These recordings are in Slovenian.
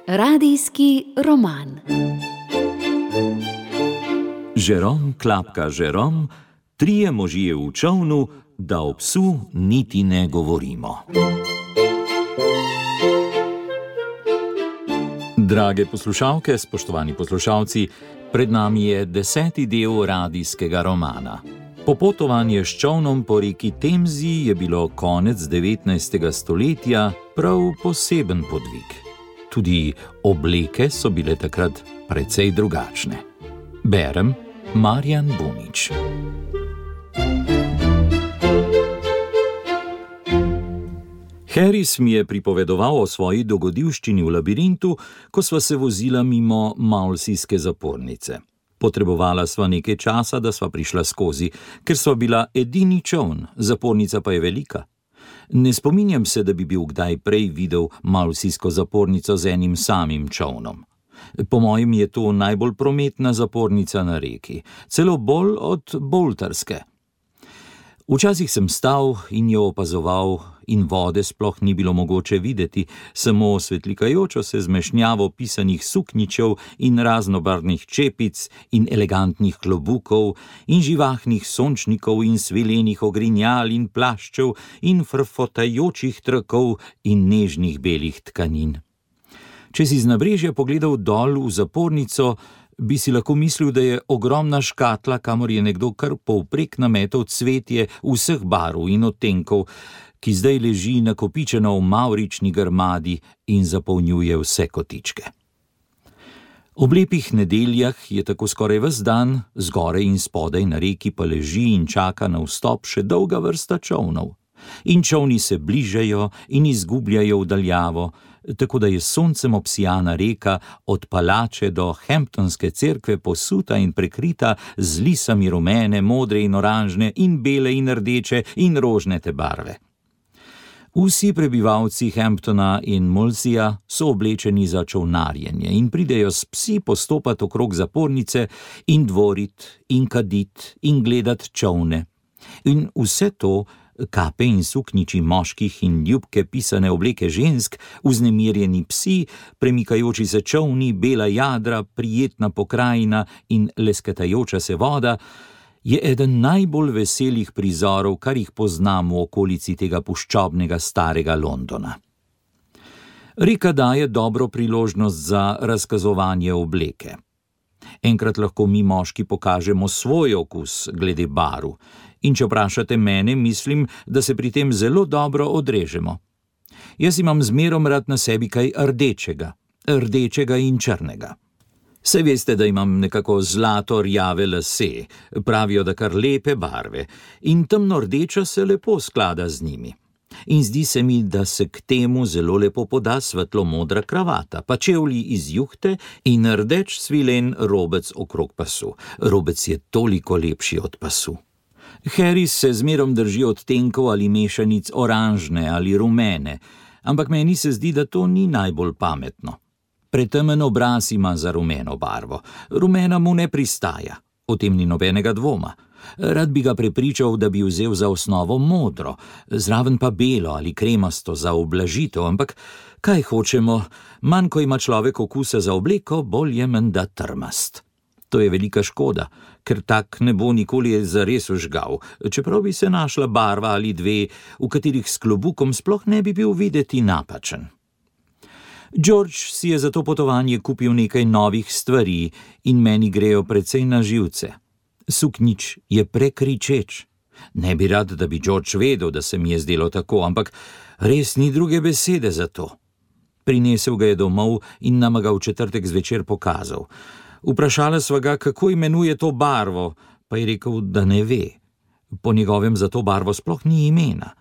Radijski roman. Žerom klapka Žerom, trije možje v čolnu, da o psu niti ne govorimo. Drage poslušalke, spoštovani poslušalci, pred nami je 10. del radijskega romana. Popotovanje s čolnom po reki Temzi je bilo konec 19. stoletja prav poseben podvig. Tudi obleke so bile takrat precej drugačne. Berem Marjan Bunič. Harris mi je pripovedoval o svoji dogodivščini v labirintu, ko sva se vozila mimo Maulsijske zapornice. Potrebovala sva nekaj časa, da sva prišla skozi, ker sva bila edini čoln, zapornica pa je velika. Ne spominjam se, da bi bil kdaj prej videl Maulsijsko zapornico z enim samim čolnom. Po mojem je to najbolj prometna zapornica na reki, celo bolj od boltarske. Včasih sem stal in jo opazoval in vode sploh ni bilo mogoče videti, samo svetlikajočo se zmešnjavo pisanih suknjičev in raznobarvnih čepic in elegantnih klobukov in živahnih sončnikov in svilenih ogrinjal in plaščev in frfotajočih trakov in nežnih belih tkanin. Če si z nabrežja pogledal dol v zapornico, bi si lahko mislil, da je ogromna škatla, kamor je nekdo kar povprek nametal cvetje vseh barv in odtenkov, ki zdaj leži nakopičeno v mavrični grmadi in zapolnjuje vse kotičke. Ob lepih nedeljah je tako skoraj ves dan, zgoraj in spodaj na reki pa leži in čaka na vstop še dolga vrsta čolnov. In čolni se bližajo in izgubljajo v daljavo, tako da je soncem obsijana reka od palače do Hamptonske cerkve posuta in prekrita z lisami rumene, modre in oranžne in bele in rdeče in rožnate barve. Vsi prebivalci Hamptona in Molsija so oblečeni za čolnarjenje in pridejo s psi postopati okrog zapornice in dvorit in kadit in gledat čolne. In vse to, kape in suknjiči moških in ljubke pisane obleke žensk, vznemirjeni psi, premikajoči se čolni, bela jadra, prijetna pokrajina in lesketajoča se voda, je eden najbolj veselih prizorov, kar jih poznam v okolici tega puščobnega starega Londona. Reka daje dobro priložnost za razkazovanje obleke. Enkrat lahko mi moški pokažemo svoj okus glede barv, in če vprašate mene, mislim, da se pri tem zelo dobro odrežemo. Jaz imam zmerom rad na sebi kaj rdečega in črnega. Saj veste, da imam nekako zlato rjave lase, pravijo, da kar lepe barve, in temno rdeča se lepo sklada z njimi. In zdi se mi, da se k temu zelo lepo poda svetlo modra kravata, pa čevlji iz juhte in rdeč svilen robec okrog pasu. Robec je toliko lepši od pasu. Harris se zmerom drži odtenkov ali mešanic oranžne ali rumene, ampak meni se zdi, da to ni najbolj pametno. Pretemen obraz ima za rumeno barvo. Rumena mu ne pristaja, o tem ni nobenega dvoma. Rad bi ga prepričal, da bi vzel za osnovo modro, zraven pa belo ali kremasto za ublažitev, ampak kaj hočemo, manj ko ima človek okusa za obleko, bolj je menda trmast. To je velika škoda, ker tak ne bo nikoli zares užgal, čeprav bi se našla barva ali dve, v katerih s klobukom sploh ne bi bil videti napačen. George si je za to potovanje kupil nekaj novih stvari in meni grejo precej na živce. Suknjič je prekričeč. Ne bi rad, da bi George vedel, da se mi je zdelo tako, ampak res ni druge besede za to. Prinesel ga je domov in nama ga v četrtek zvečer pokazal. Vprašala sva ga, kako imenuje to barvo, pa je rekel, da ne ve. Po njegovem za to barvo sploh ni imena.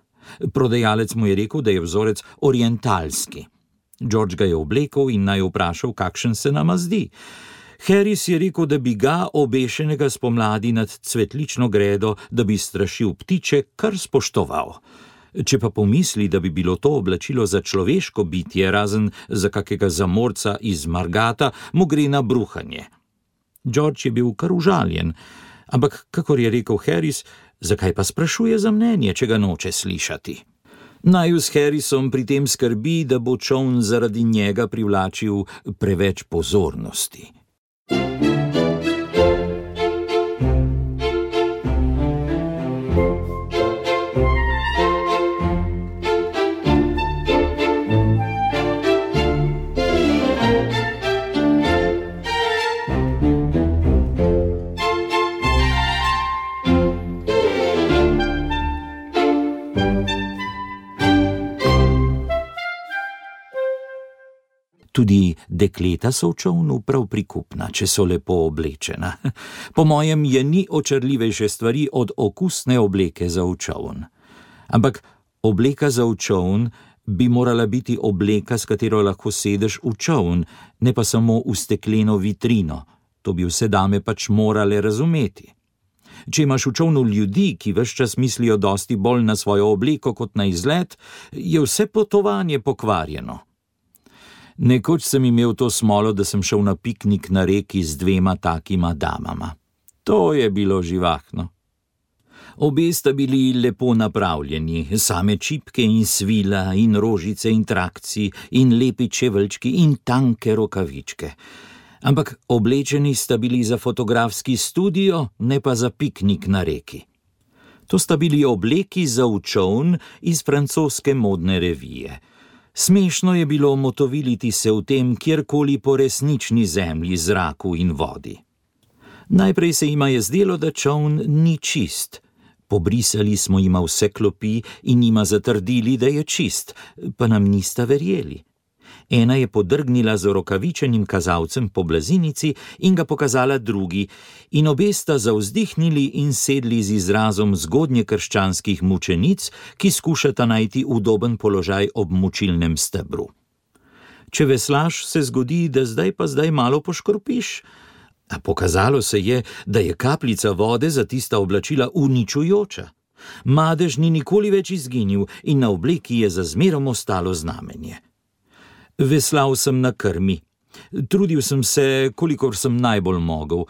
Prodajalec mu je rekel, da je vzorec orientalski. George ga je oblekel in naj vprašal, kakšen se nama zdi. Harris je rekel, da bi ga, obešenega spomladi nad cvetlično gredo, da bi strašil ptiče, kar spoštoval. Če pa pomisli, da bi bilo to oblačilo za človeško bitje, razen za kakega zamorca iz Margata, mu gre na bruhanje. George je bil kar užaljen, ampak, kakor je rekel Harris, zakaj pa sprašuje za mnenje, če ga noče slišati? Naju s Harrisom pri tem skrbi, da bo čoln zaradi njega privlačil preveč pozornosti. Tudi dekleta so v čolnu prav prikupna, če so lepo oblečena. Po mojem je ni očarljivejše stvari od okusne obleke za v čoln. Ampak obleka za v čoln bi morala biti obleka, s katero lahko sedeš v čoln, ne pa samo v stekleno vitrino. To bi vse dame pač morale razumeti. Če imaš v čolnu ljudi, ki ves čas mislijo dosti bolj na svojo obleko kot na izlet, je vse potovanje pokvarjeno. Nekoč sem imel to smolo, da sem šel na piknik na reki z 2 takima damama. To je bilo živahno. Obe sta bili lepo napravljeni, same čipke in svila in rožice in trakci in lepi čeveljčki in tanke rokavičke. Ampak oblečeni sta bili za fotografski studio, ne pa za piknik na reki. To sta bili obleki za v čoln iz francoske modne revije. Smešno je bilo motoviliti se v tem kjerkoli po resnični zemlji, zraku in vodi. Najprej se jima je zdelo, da čoln ni čist. Pobrisali smo jima vse klopi in jima zatrdili, da je čist, pa nam nista verjeli. Ena je podrgnila z rokavičenim kazalcem po blazinici in ga pokazala drugi, in obe sta zavzdihnili in sedli z izrazom zgodnjekrščanskih mučenic, ki skušata najti udoben položaj ob mučilnem stebru. Če veslaš, se zgodi, da zdaj malo poškropiš. A pokazalo se je, da je kapljica vode za tista oblačila uničujoča. Madež ni nikoli več izginil in na obleki je za zmerom ostalo znamenje. Veslal sem na krmi. Trudil sem se, kolikor sem najbolj mogel.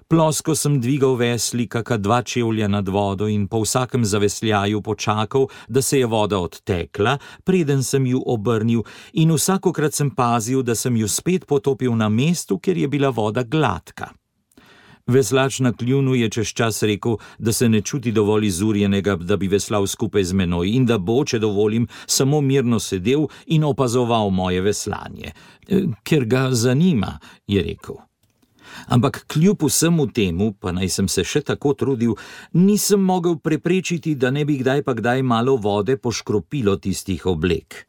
Plosko sem dvigal vesli, kaka 2 čevlja nad vodo in po vsakem zavesljaju počakal, da se je voda odtekla, preden sem ju obrnil, in vsakokrat sem pazil, da sem ju spet potopil na mestu, kjer je bila voda gladka. Veslač na kljunu je čez čas rekel, da se ne čuti dovolj izurjenega, da bi veslal skupaj z menoj in da bo, če dovolim, samo mirno sedel in opazoval moje veslanje. Ker ga zanima, je rekel. Ampak kljub vsemu temu, pa naj sem se še tako trudil, nisem mogel preprečiti, da ne bi kdaj pa kdaj malo vode poškropilo tistih oblek.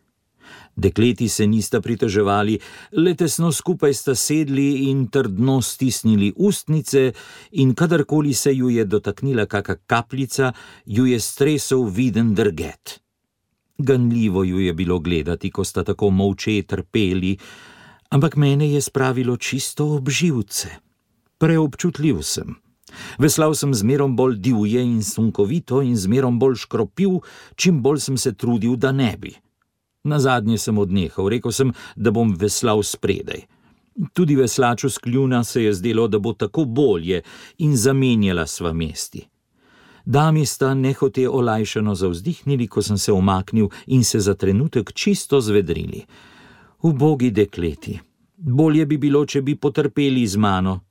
Dekleti se nista pritoževali, le tesno skupaj sta sedli in trdno stisnili ustnice in kadarkoli se ju je dotaknila kaka kapljica, ju je stresel viden drget. Ganljivo ju je bilo gledati, ko sta tako molče trpeli, ampak mene je spravilo čisto ob živce. Preobčutljiv sem. Veslal sem zmerom bolj divje in sunkovito in zmerom bolj škropil, čim bolj sem se trudil, da ne bi. Nazadnje sem odnehal, rekel sem, da bom veslal spredaj. Tudi veslaču s kljuna se je zdelo, da bo tako bolje, in zamenjala sva mesti. Dami sta nehote olajšano zavzdihnili, ko sem se umaknil in se za trenutek čisto zvedrili. Ubogi dekleti, bolje bi bilo, če bi potrpeli z mano.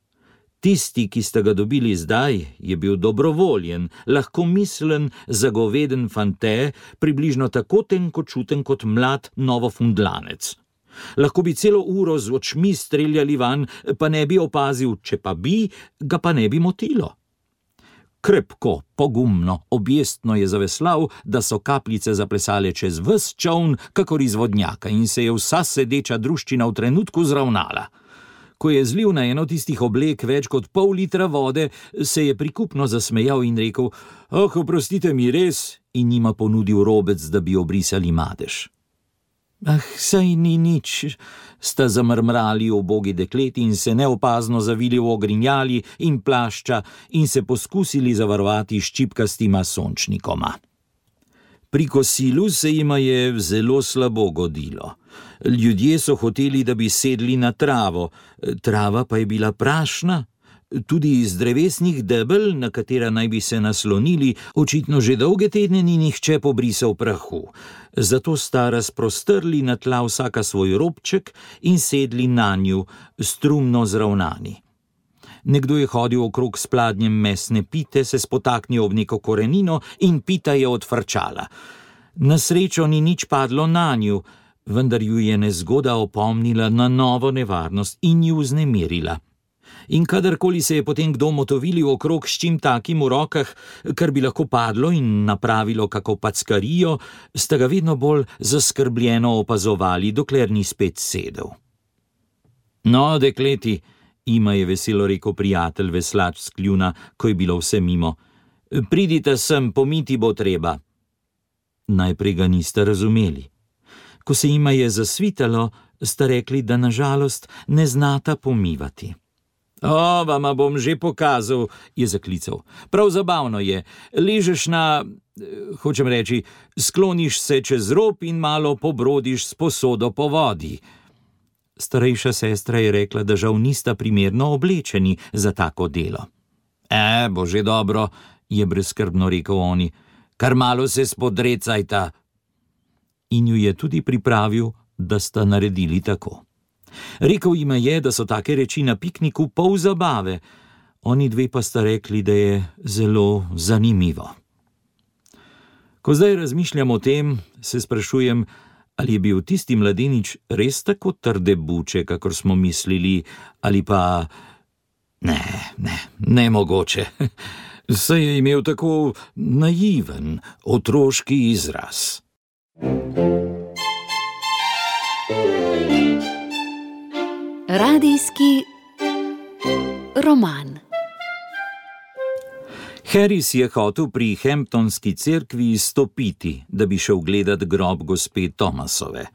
Tisti, ki sta ga dobili zdaj, je bil dobrovoljen, lahkomislen, zagoveden fante, približno tako tenkočuten kot mlad novofundlanec. Lahko bi celo uro z očmi streljali van, pa ne bi opazil, če pa bi, ga pa ne bi motilo. Krepko, pogumno, objestno je zaveslal, da so kapljice zaplesale čez ves čoln, kakor iz vodnjaka, in se je vsa sedeča druščina v trenutku zravnala. Ko je zlil na eno tistih oblek več kot pol litra vode, se je prikupno zasmejal in rekel: oprostite mi res, in njima ponudil robec, da bi obrisali madež. Saj ni nič, sta zamrmrali ubogi dekleti in se neopazno zavili v ogrinjali in plašča in se poskusili zavarovati s ščipkastima sončnikoma. Pri kosilu se jima je zelo slabo godilo. Ljudje so hoteli, da bi sedli na travo, trava pa je bila prašna, Tudi iz drevesnih debel, na katera naj bi se naslonili, očitno že dolge tedne ni nihče pobrisal prahu. Zato sta razprostrli na tla vsaka svoj robček in sedli nanju, strumno zravnani. Nekdo je hodil okrog s pladnjem mesne pite, se spotaknil ob neko korenino in pita je odfrčala. Na srečo ni nič padlo nanju, vendar ju je nezgoda opomnila na novo nevarnost in ju vznemirila. In kadarkoli se je potem kdo motovilil okrog s čim takim v rokah, kar bi lahko padlo in napravilo kako packarijo, sta ga vedno bolj zaskrbljeno opazovali, dokler ni spet sedel. No, dekleti, jima je veselo rekel prijatelj veslač s kljuna, ko je bilo vse mimo. Pridite sem, pomiti bo treba. Najprej ga nista razumeli. Ko se jima je zasvitalo, sta rekli, da na žalost ne znata pomivati. O, vama bom že pokazal, je zaklical. Prav zabavno je. Ležeš hočem reči, skloniš se čez rob in malo pobrodiš s posodo po vodi. Starejša sestra je rekla, da žal nista primerno oblečeni za tako delo. Bo že dobro, je brezskrbno rekel oni. Kar malo se spodrecajta. In ju je tudi pripravil, da sta naredili tako. Rekel jima je, da so take reči na pikniku pol zabave, oni dve pa sta rekli, da je zelo zanimivo. Ko zdaj razmišljam o tem, se sprašujem, ali je bil tisti mladenič res tako trde buče, kakor smo mislili, ali pa... Ne mogoče. Saj je imel tako naiven, otroški izraz. Radijski roman. Harris je hotel pri Hamptonski cerkvi izstopiti, da bi šel gledat grob gospe Thomasove.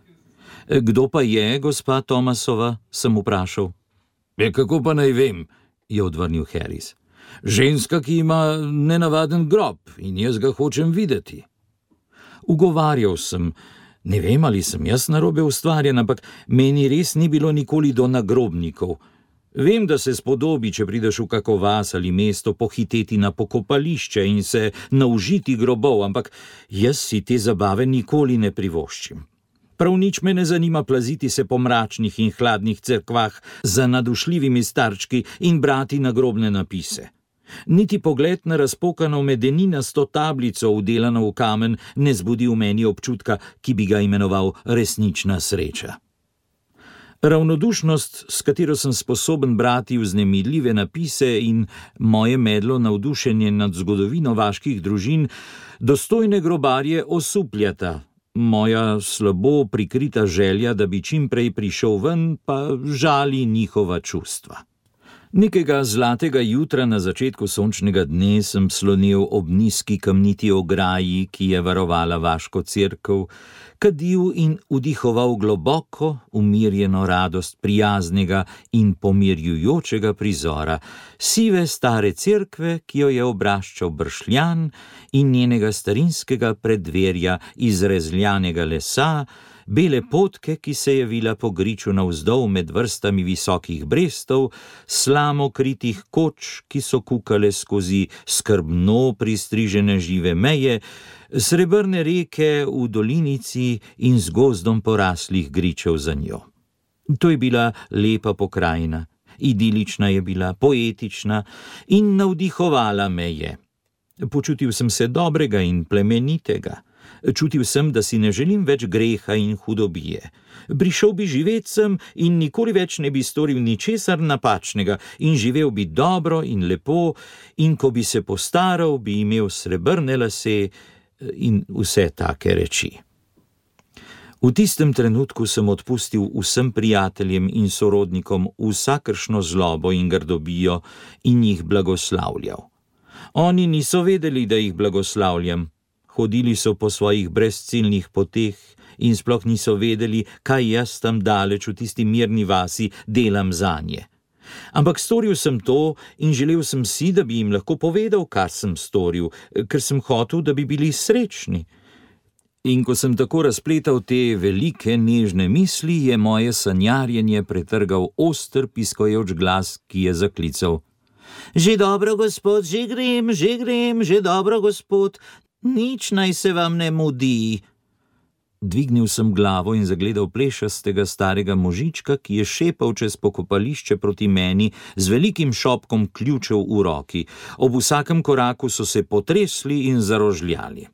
Kdo pa je gospa Thomasova, sem vprašal. Kako pa naj vem, je odvrnil Harris. Ženska, ki ima nenavaden grob in jaz ga hočem videti. Ugovarjal sem, ne vem, ali sem jaz narobe ustvarjen, ampak meni res ni bilo nikoli do nagrobnikov. Vem, da se spodobi, če prideš v kako vas ali mesto, pohiteti na pokopališče in se naužiti grobov, ampak jaz si te zabave nikoli ne privoščim. Prav nič me ne zanima plaziti se po mračnih in hladnih cerkvah za nadušljivimi starčki in brati nagrobne napise. Niti pogled na razpokano medeninasto tablico, vdelano v kamen, ne zbudi v meni občutka, ki bi ga imenoval resnična sreča. Ravnodušnost, s katero sem sposoben brati vznemirljive napise in moje medlo navdušenje nad zgodovino vaških družin, dostojne grobarje osupljata. Moja slabo prikrita želja, da bi čim prej prišel ven, pa žali njihova čustva. Nekega zlatega jutra na začetku sončnega dne sem slonil ob nizki kamniti ograji, ki je varovala vaško cerkev, kadil in vdihoval globoko, umirjeno radost prijaznega in pomirjujočega prizora, sive stare cerkve, ki jo je obraščal bršljan, in njenega starinskega preddverja iz rezljanega lesa, bele potke, ki se je vila po griču navzdol med vrstami visokih brestov, slamo kritih koč, ki so kukale skozi skrbno pristrižene žive meje, srebrne reke v dolinici in z gozdom poraslih gričev za njo. To je bila lepa pokrajina, idilična je bila, poetična in navdihovala me je. Počutil sem se dobrega in plemenitega. Čutil sem, da si ne želim več greha in hudobije. Prišel bi živet sem in nikoli več ne bi storil ničesar napačnega in živel bi dobro in lepo in ko bi se postaral, bi imel srebrne lase in vse take reči. V tistem trenutku sem odpustil vsem prijateljem in sorodnikom vsakršno zlobo in grdobijo in jih blagoslavljal. Oni niso vedeli, da jih blagoslavljam. Hodili so po svojih brezciljnih poteh in sploh niso vedeli, kaj jaz tam daleč v tisti mirni vasi delam zanje. Ampak storil sem to in želel sem si, da bi jim lahko povedal, kar sem storil, ker sem hotel, da bi bili srečni. In ko sem tako razpletal te velike, nežne misli, je moje sanjarjenje pretrgal oster piskajoč glas, ki je zaklical. Že dobro, gospod, že grem, že dobro, gospod, nič naj se vam ne mudi. Dvignil sem glavo in zagledal plešastega starega možička, ki je šepal čez pokopališče proti meni z velikim šopkom ključev v roki. Ob vsakem koraku so se potresli in zarožljali.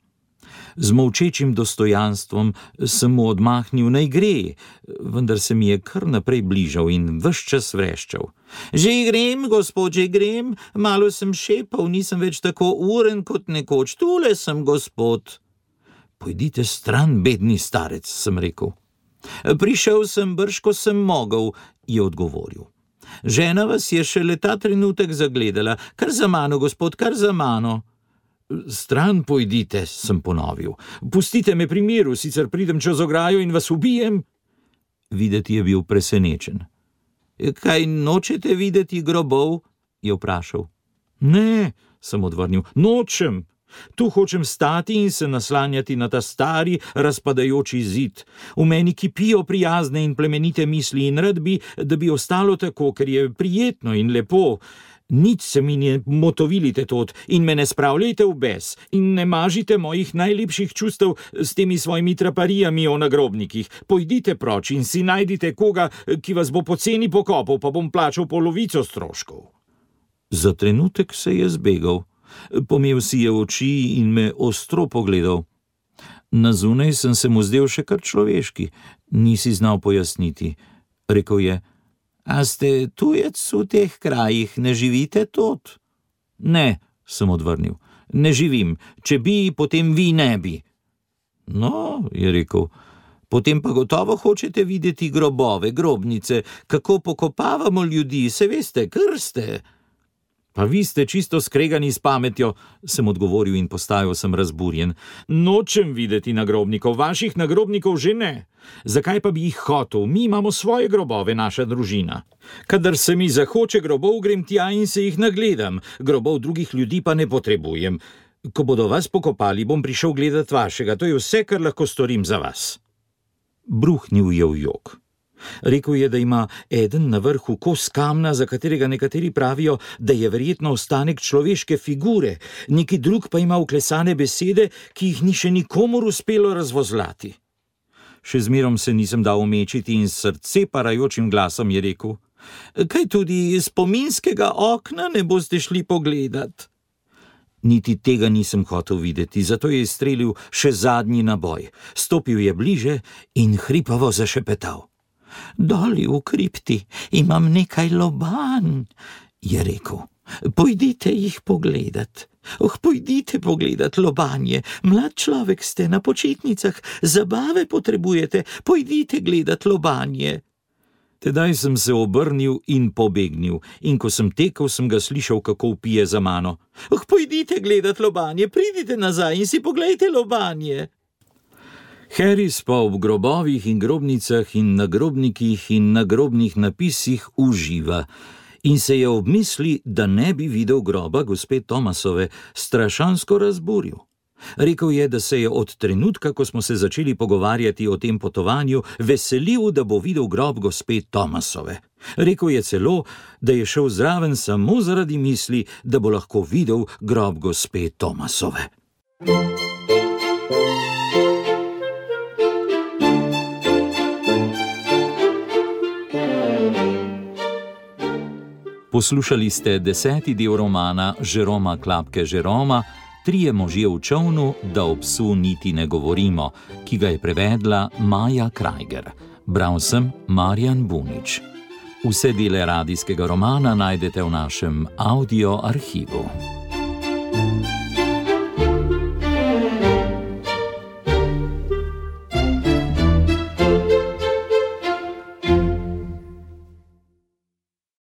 Z molčečim dostojanstvom sem mu odmahnil, naj gre, vendar se mi je kar naprej bližal in ves čas vreščal. Že grem, gospod, že grem, malo sem šepal, nisem več tako uren kot nekoč, tule sem, gospod. Pojdite stran, bedni starec, sem rekel. Prišel sem brž, ko sem mogel, je odgovoril. Žena vas je šele ta trenutek zagledala, kar za mano, gospod, kar za mano. Stran pojdite, sem ponovil. Pustite me pri miru, sicer pridem čez ograjo in vas ubijem. Videti je bil presenečen. Kaj nočete videti grobov? Je vprašal. Ne, sem odvrnil, nočem. Tu hočem stati in se naslanjati na ta stari, razpadajoči zid. V meni kipijo prijazne in plemenite misli in rad bi, da bi ostalo tako, ker je prijetno in lepo. Nič se mi ne motovilite tod in me ne spravljajte v bes in ne mažite mojih najlepših čustev s temi svojimi traparijami o nagrobnikih. Pojdite proč in si najdite koga, ki vas bo poceni pokopal, pa bom plačal polovico stroškov. Za trenutek se je zbegal. Pomel si je oči in me ostro pogledal. Na zunaj sem se mu zdel še kar človeški, nisi znal pojasniti. Rekel je: A ste tujec v teh krajih, ne živite tod? Ne, sem odvrnil, ne živim, če bi, potem vi ne bi. No, je rekel, potem pa gotovo hočete videti grobove, grobnice, kako pokopavamo ljudi, se veste, krste. Pa vi ste čisto skregani s pametjo, sem odgovoril in postajal sem razburjen. Nočem videti nagrobnikov, vaših nagrobnikov že ne. Zakaj pa bi jih hotel? Mi imamo svoje grobove, naša družina. Kadar se mi zahoče grobov, grem tja in se jih nagledam. Grobov drugih ljudi pa ne potrebujem. Ko bodo vas pokopali, bom prišel gledat vašega. To je vse, kar lahko storim za vas. Bruhnil je v jok. Rekel je, da ima eden na vrhu kos kamna, za katerega nekateri pravijo, da je verjetno ostanek človeške figure, neki drug pa ima vklesane besede, ki jih ni še nikomur uspelo razvozlati. Še zmerom se nisem dal omečiti in s srce parajočim glasom je rekel: Kaj tudi spominskega okna ne boste šli pogledat? Niti tega nisem hotel videti, zato je izstrelil še zadnji naboj. Stopil je bliže in hripavo zašepetal. Doli v kripti imam nekaj lobanj, je rekel. Pojdite jih pogledat. Pojdite pogledat lobanje. Mlad človek ste, na počitnicah, zabave potrebujete. Pojdite gledat lobanje. Tedaj sem se obrnil in pobegnil, in ko sem tekel, sem ga slišal, kako vpije za mano. Pojdite gledat lobanje, pridite nazaj in si poglejte lobanje. Harris pa ob grobovih in grobnicah in nagrobnikih in nagrobnih napisih uživa in se je ob misli, da ne bi videl groba gospe Thomasove, strašansko razburil. Rekel je, da se je od trenutka, ko smo se začeli pogovarjati o tem potovanju, veselil, da bo videl grob gospe Thomasove. Rekel je celo, da je šel zraven samo zaradi misli, da bo lahko videl grob gospe Thomasove. Poslušali ste 10. del romana Jeroma Klapke Jeroma, Trije možje v čolnu, da o psu niti ne govorimo, ki ga je prevedla Maja Krajger. Bral sem Marjan Bunič. Vse dele radijskega romana najdete v našem audio arhivu.